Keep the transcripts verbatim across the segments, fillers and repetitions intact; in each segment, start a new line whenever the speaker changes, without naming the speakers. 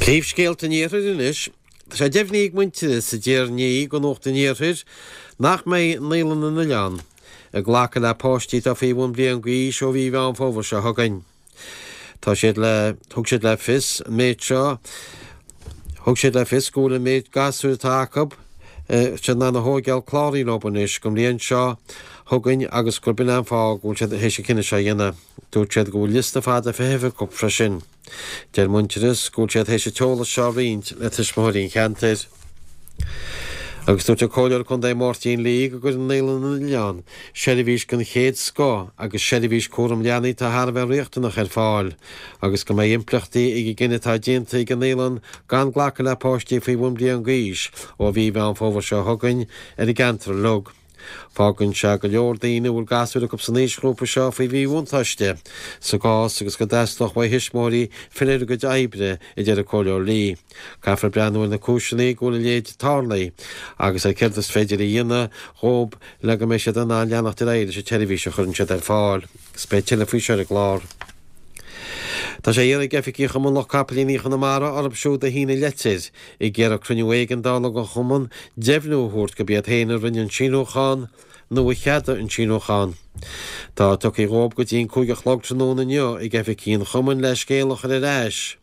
Príomhscéalta an Iarthair anois. Tá sé deimhnithe ag Muintearas a deir inné do Nuacht an Iarthair nach mbeidh Naíolann na nOileán ag glacadh le páistí atá faoi bhun bliain d'aois ó mhí Mheán Fómhair seo chugainn. Tá siad le thug siad le fios an méid seo thug siad le fios go bhfuil an méid gasúir atá acu siad in ann a thógáil cláraithe leo anois don bhliain seo chugainn agus gurb in an fáth go bhfuil siad théis an cinneadh seo a dhéanamh. Dúirt siad go bhfuil liosta fada feithimh acu freisin. Deir Muintearas go bhfuil siad théis an t-eolas seo a roinnt le tuismitheoirí an cheantair. Agus dúirt an Comhairleoir Contae Máirtín Lee go gcuireann Naíolann na nOileán seirbhís den chéad scoth agus seirbhís cúram leanaí atá thar a bheith riachtanach ar fáil, agus go mbeidh impleachtaí ag an gcinneadh atá déanta ag an naíolann gan glacadh le páistí faoi bhun bliain d'aois ó mhí Mheán Fómhair seo chugainn ar an gceantar uilig. Fágann sé go leor daoine a bhfuil gasúir acu san aoisghrúpa seo faoi mhíbhuntáiste sa gcás agus go dteastódh uaidh thuismitheoirí filleadh ar a gcuid oibre, a deir an Comhairleoir Lee. Caithfear breathnú ar na cúiseanna go bhfuil a leithéid tarlaithe agus ar céard is féidir a dhéanamh dhóibh le go mbeidh siad in ann leanacht ar aghaidh leis an tseirbhís a chuireann siad ar fáil. Agus beidh tuilleadh faoi seo ar an gclár. Tá sé iarrtha ag oifigigh Chumann Lucht Capaillíní Chonamara orthu siúd a shínigh leitir ag iarraidh cruinniú éigeandála den chumann deimhniú a thabhairt gurb iad féin a rinne an síniúchán nó a cheadaigh an síniúchán. Tá tugtha dhóibh go dtí an cúig a chlog tráthnóna inniu ag oifigigh an chumainn le scéal a chur ar ais.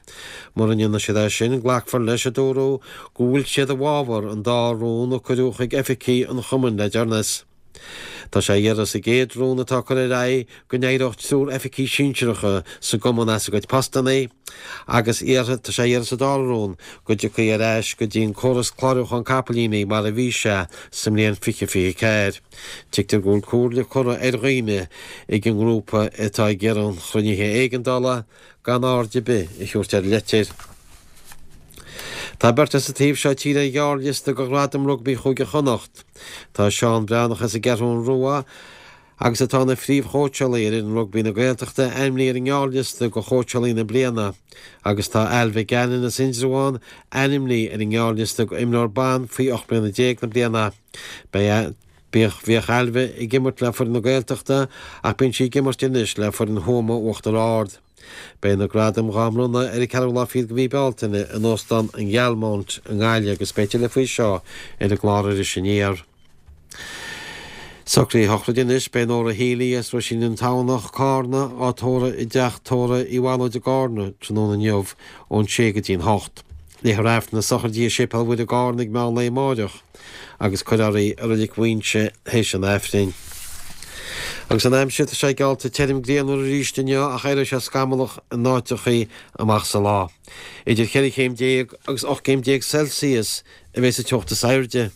Mura ndéanfaidh siad é sin, glacfar leis, a dúradh, go bhfuil siad i bhfabhar an dá rún a cuireadh chuig oifigigh an chumainn le deireanas. Tá sé á iarraidh sa gcéad rún atá curtha ar aghaidh go n-éireodh triúr oifigigh sinsearacha sa gcumann as a gcuid postanna agus iarrtha tá sé á iarraidh sa dara rún go dtiocfaí ar ais go dtí an córas clárúcháin capaillíní mar a bhí sé sa mbliain fiche fiche ceathair. Tuigtear go bhfuil comhairle curtha ar dhaoine ag an ngrúpa atá ag iarraidh an chruinnithe éigeandála gan aird ar bith a thabhairt ar an leitir. Tá beirt as an taobh seo tíre ar ghearrliosta do Ghradam Rugbaí Chúige Chonnacht. Tá Seán Breathnach as an gCeathrú Rua agus atá ina phríomhchóitseálaí ar fhoireann rugbaí na Gaeltachta ainmnithe ar an ngearrliosta do chóitseálaí na bliana agus tá Ailbhe Gannon as Indreabhán ainmnithe ar an ngearrliosta do imreoir ban faoi ocht mbliana déag na bliana. Beidh Bíodh bhíodh Ailbhe ag imirt le foireann na Gaeltachta ach bíonn sí ag imirt anois le foireann Thuama Uachtar Ard. Beidh na gradaim dhá mbronnadh ar an ceathrú lá fichead de mhí Bealtaine in Óstán an Ghealmount i nGaillimh agus beidh tuilleadh faoi seo ar an gclár Iris Aniar. Socruithe sochraide anois, beidh Nóra Healy as Roisín an Tamhnach, Cárna, á tórramh i dteach tórraimh Uí Bhallóid i gCárna tráthnóna inniu ón sé go dtí an hocht. Léifear Aifreann na sochraide i Séipéal Mhuire i gCárna ag meán lae amáireach agus cuirfear í i Reilig Mhaínse théis an Aifrinn. Agus an aimsir, tá sé geallta tirim grianmhar arís inniu ach éireoidh sé scamallach in áiteachaí amach sa lá. Idir cheithre chéim déag agus ocht gcéim déag Celsius a bheidh sa teocht is airde.